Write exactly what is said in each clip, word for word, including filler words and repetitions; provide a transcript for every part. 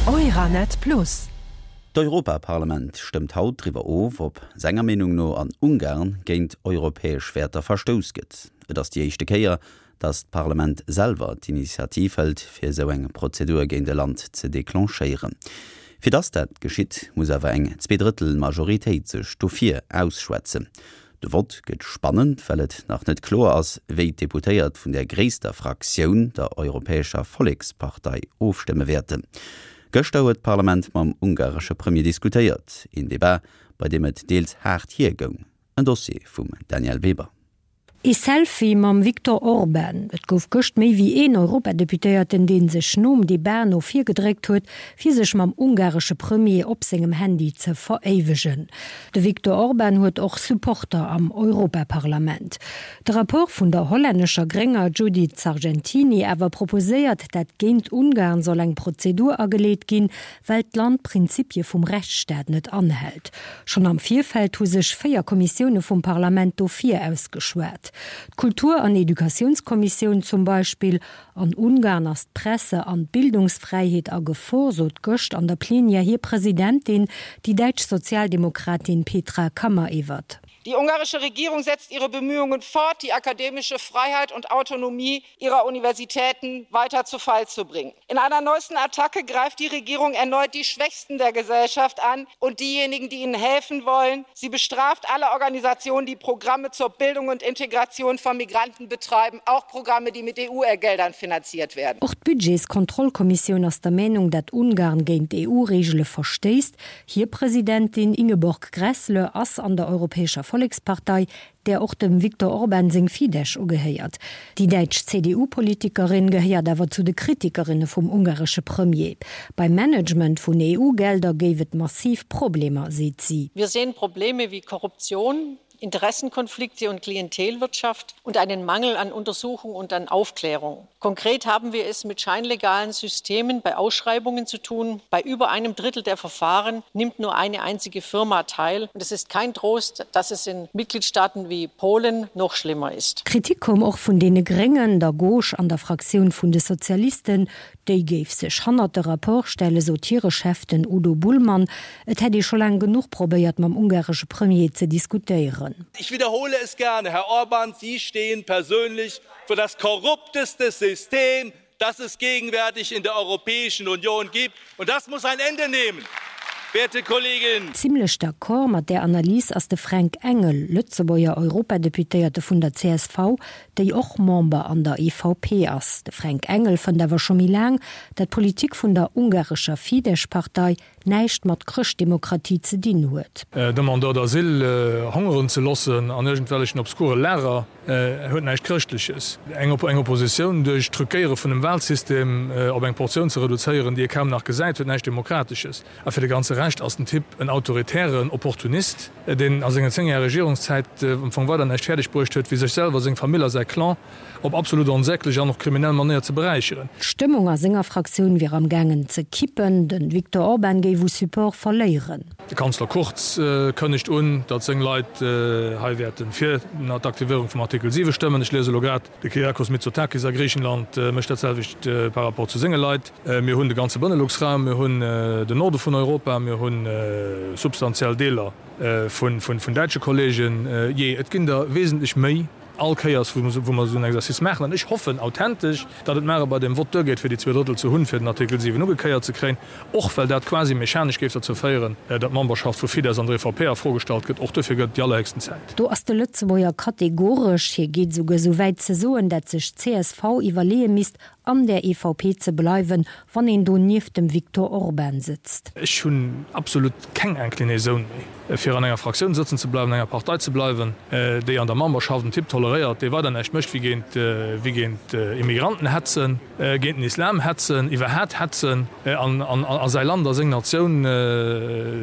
Euranet Plus. D'Europaparlament stëmmt haut driwwer of, ob senger Meenung no an Ungarn géint europäesch Wäerter verstouss gëtt. Et ass déi éischte Kéier, datt d'Parlament selwer d'Initiativ hëlt, fir esou eng Prozedur géint e Land ze declenchéieren. Fir datt dat geschitt, muss awer eng Zweedrëttel-Majoritéit sech dofir ausschwätzen. De Vott gëtt spannend, well et nach net kloer ass, wéi d'Deputéiert vun der gréisster Fraktioun, der Europäescher Vollekspartei, ofstëmme wäerten. Gëschter huet d'Parlament mam ungaresche Premier diskutéiert, een Debat, bei deem et deels haart hiergoung. En Dossier vum Danièle Weber. Ee Selfie mam Viktor Orban. Et gouf gëscht méi wéi een Europadeputéierten, dee sech nom Debat no vir gedréckt huet, fir sech mam ungaresche Premier op sengem Handy ze veréiwegen. De Viktor Orban huet och Supporter am Europaparlament. De Rapport vun der hollännescher Grénger Judith Sargentini awer proposéiert, dat géint Ungarn soll eng Prozedur ageleet ginn, well d'Land d'Prinzipie vum Rechtsstaat net anhält. Schonn am Virfeld hu sech véier Kommissioune vum Parlament dofir ausgeschwat. D'Kultur an Educatiounskommissioun zum Beispill. An Ungarn ass d'Presse an d'Bildungsfräiheet a Gefor, sot gëscht an der Plenière hir Presidentin, déi däitsch Sozialdemokratin Petra Kammerewert. Die ungarische Regierung setzt ihre Bemühungen fort, die akademische Freiheit und Autonomie ihrer Universitäten weiter zu Fall zu bringen. In einer neuesten Attacke greift die Regierung erneut die Schwächsten der Gesellschaft an und diejenigen, die ihnen helfen wollen. Sie bestraft alle Organisationen, die Programme zur Bildung und Integration von Migranten betreiben, auch Programme, die mit E U-Geldern finanziert werden. Och d'Budgetskontrollkommissioun ass der Meenung, datt Ungarn géint d'E U-Reegele verstéisst. Hir Presidentin Ingeborg Grässle ass an der Europäescher Vollekspartei, där och dem Viktor Orban seng Fidesz ugehéiert. Déi däitsch C D U-Politikerin gehéiert awer zu de Kritikerinne vum ungaresche Premier. Beim Management vun E U-Gelder géif et massiv Problemer, seet si. Wir sehen Probleme wie Korruption, Interessenkonflikte und Klientelwirtschaft und einen Mangel an Untersuchung und an Aufklärung. Konkret haben wir es mit scheinlegalen Systemen bei Ausschreibungen zu tun. Bei über einem Drittel der Verfahren nimmt nur eine einzige Firma teil. Und es ist kein Trost, dass es in Mitgliedstaaten wie Polen noch schlimmer ist. Kritik koum och vun deene Gréngen, der Gauche an der Fraktioun vun de Sozialisten. Déi géif sech hannert de Rapport stelle, sot hire Chef, den Udo Bullmann. Et hätt ee scho laang genuch probéiert, mam ungaresche Premier ze diskutéieren. Ich wiederhole es gerne, Herr Orban, Sie stehen persönlich für das korrupteste System, das es gegenwärtig in der Europäischen Union gibt. Und das muss ein Ende nehmen, werte Kolleginnen. Zimlech d'accord mat där Analys ass de Fränk Engel, Lëtzebuerger Europadeputéierte vun der C S V, déi och Member an der E V P ass. De Fränk Engel fënnt awer scho méi laang, dat d'Politik vun der ungarescher Fidesz-Partei näischt mat Chrëschtdemokratie ze dinn huet. Demandeur d'asile hongeren ze loossen an iergendwellechen obskure Lager huet näischt Chrëschtleches. Eng Op-, eng Oppositioun duerch d'Truquéiere vun dem Wahlsystem op eng Portioun ze reduzéieren, déi ee kaum nach gesäit, huet näischt Demokratesches. A fir de ganze Rescht ass den Typ en autoritären Opportunist, deen a senger zéng Jahre Regierungszäit am Fong weider näischt fäerdeg bruecht huet, wéi sech selwer, seng Famill a säi Clan op absolut onsäglech an och kriminell Manéier ze beräicheren. D'Stëmmung a senger Fraktioun wier am gaangen ze kippen. Den Viktor Orban géif u Support verléieren. De Kanzler Kurz kënnegt un, datt seng Leit hei wäerten fir d'Aktivéierung vum Artikel siwe stëmmen. Ech liese elo grad, de Kyriakos Mitsotakis a Griichenland mécht dat selwecht par rapport zu senge Leit. Mir hunn de ganze Benelux-Raum, mir hunn den Norde vun Europa, mir hunn substantiell Deeler vun, vun, vun däitsche Kollegen. Jee, et ginn der wesentlech méi all Kéiers, wou wou mer esou en Exercice maachen. An ech hoffen authentesch, datt et mar bei dem Vott duergeet, fir déi zwee Drëttel ze hunn, fir den Artikel siwen ugekéiert ze kréien, och well dat quasi mechanesch géif derzou féieren, datt d'Memberschaft vu Fidesz an der E V P a Fro gestallt gëtt. Och dofir gëtt et déi allerhéchsten Zäit. Do ass de Lëtzebuerger kategoresch. Hie geet esouguer esou wäit ze soen, datt sech d'C S V iwwerleeë misst, an der E V P ze bleiwen, wann een do nieft dem Viktor Orban sëtzt. Ech hunn absolut keng Inclinaison méi, fir an enger Fraktioun sëtzen ze bleiwen, an enger Partei ze bleiwen, déi an der Memberschaft en Typ toleréiert, dee weider näischt mécht, wéi géint, wéi géint Immigranten hetzen, géint den Islam hetzen, iwwerhaapt hetzen, an, an, a säi Land a seng Natioun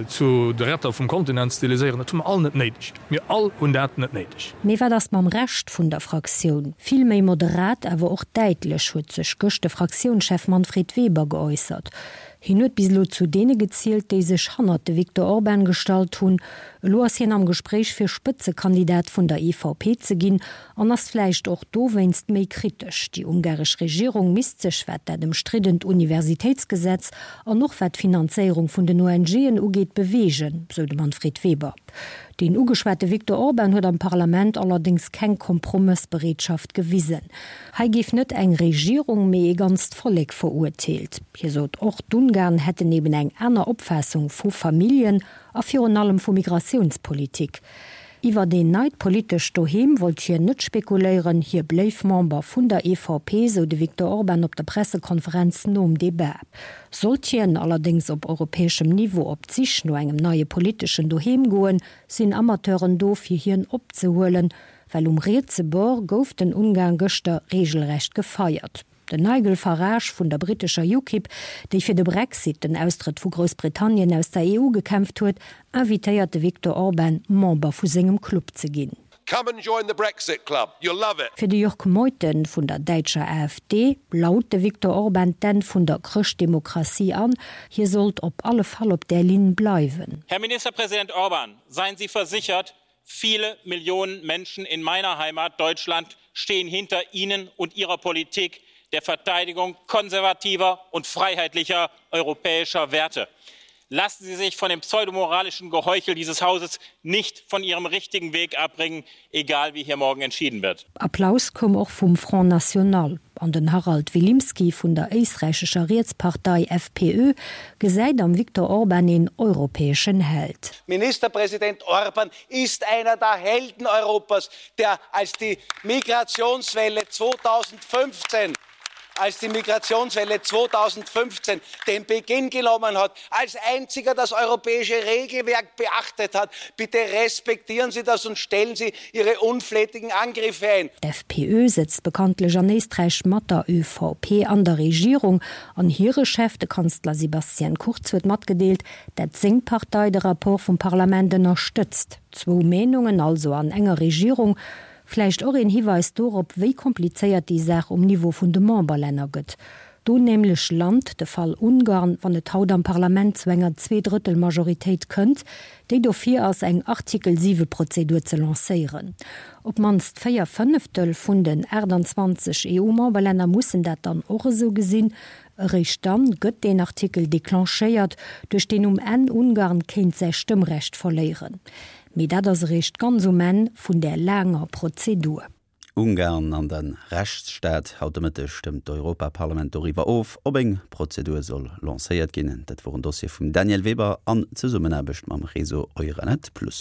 zu de Retter vum Kontinent stiliséieren. Dat hu mer all net néideg. Mir all hunn dat net néideg. Mee wat ass mam Rescht vun der Fraktioun? Vill méi moderat, awer och däitlech huet sech gëscht de Fraktiounschef Manfred Weber geäussert. Hien huet bis elo zu deene gezielt, déi sech hannert de Viktor Orban gestallt hunn. Elo ass hien am Gespréich fir Spëtzekandidat vun der E V P ze ginn an ass vläicht och dowéinst méi kritesch. Déi ungaresch Regierung misst sech, wat dat ëmstriddent Universitéitsgesetz an och wat d'Finanzéierung vun den O N G'en ugeet, beweegen, sou de Manfred Weber. Den ugeschwate Viktor Orban huet am Parlament allerdéngs keng Kompromëssbereetschaft gewisen. Hei géif net eng Regierung, mee e ganzt Vollek verurteelt. Hie sot och, d'Ungarn hätten eben eng aner Opfaassung vu Familljen a virun allem vu Migratiounspolitik. Iwwer en neit politescht Doheem wollt hien net spekuléieren, hie bléif Member vun der E V P, sou de Viktor Orban op der Pressekonferenz nom Debat. Sollt hien allerdéngs op europäeschem Niveau op d'Sich no engem neie politeschen Doheem goen, sinn Amateuren do fir hien opzehuelen, well um rietse Bord gouf den Ungarn gëschter reegelrecht gefeiert. Den Nigel Farage vun der brittescher UKIP, déi fir de Brexit, den Austrëtt vu Groussbritannien aus der E U gekämpft huet, invitéiert de Viktor Orban Member vu sengem Club ze ginn. Come and join the Brexit Club. You'll love it. Fir de Jörg Meuthen vun der däitscher A F D laut de Viktor Orban d'Enn vun der Chrëschtdemokratie an, hie sollt op alle Fall op där Linn bleiwen. Herr Ministerpräsident Orban, seien Sie versichert, viele Millionen Menschen in meiner Heimat Deutschland stehen hinter Ihnen und Ihrer Politik der Verteidigung konservativer und freiheitlicher europäischer Werte. Lassen Sie sich von dem pseudomoralischen Geheuchel dieses Hauses nicht von Ihrem richtigen Weg abbringen, egal wie hier morgen entschieden wird. Applaus koum och vum Front National. An den Harald Vilimsky vun der éisträichescher Rietspartei F P Ö gesäit am Viktor Orban een europäeschen Held. Ministerpräsident Orban ist einer der Helden Europas, der als die Migrationswelle zweitausendfünfzehn als die Migrationswelle zweitausendfünfzehn den Beginn genommen hat, als einziger das europäische Regelwerk beachtet hat. Bitte respektieren Sie das und stellen Sie Ihre unflätigen Angriffe ein. D'F P Ö sëtzt bekanntlech an Éisträich mat der Ö V P an der Regierung. An hire Chef, de Kanzler Sebastian Kurz, huet matgedeelt, datt seng Partei de Rapport vum Parlament ënnerstëtzt. Zwou Meenungen also an enger Regierung, vläicht och een Hiweis dorop, wéi komplizéiert déi Saach um Niveau vun de Memberlänner gëtt. Do nämlech lant de Fall Ungarn, wann et haut am Parlament zu enger Zweedrëttelmajoritéit kënnt, déi dofir ass eng Artikel siwe Prozedur ze lancéieren. Op d'mannst véier Fënneftel vun den achtanzwanzeg E U-Memberlänner mussen dat dann och esou gesinn. Eréischt dann gëtt deen Artikel declenchéiert, duerch deen um Enn Ungarn kéint säi Stëmmrecht verléieren. Mee dat ass eréischt ganz um Enn vun där laanger Prozedur. Ungarn an de Rechtsstaat. Haut de Mëtteg stëmmt d'Europaparlament doriwwer of, ob eng Prozedur soll lancéiert ginn. Dat wor en Dossier vum Danièle Weber an Zesummenaarbecht mam Réseau Euranet Plus.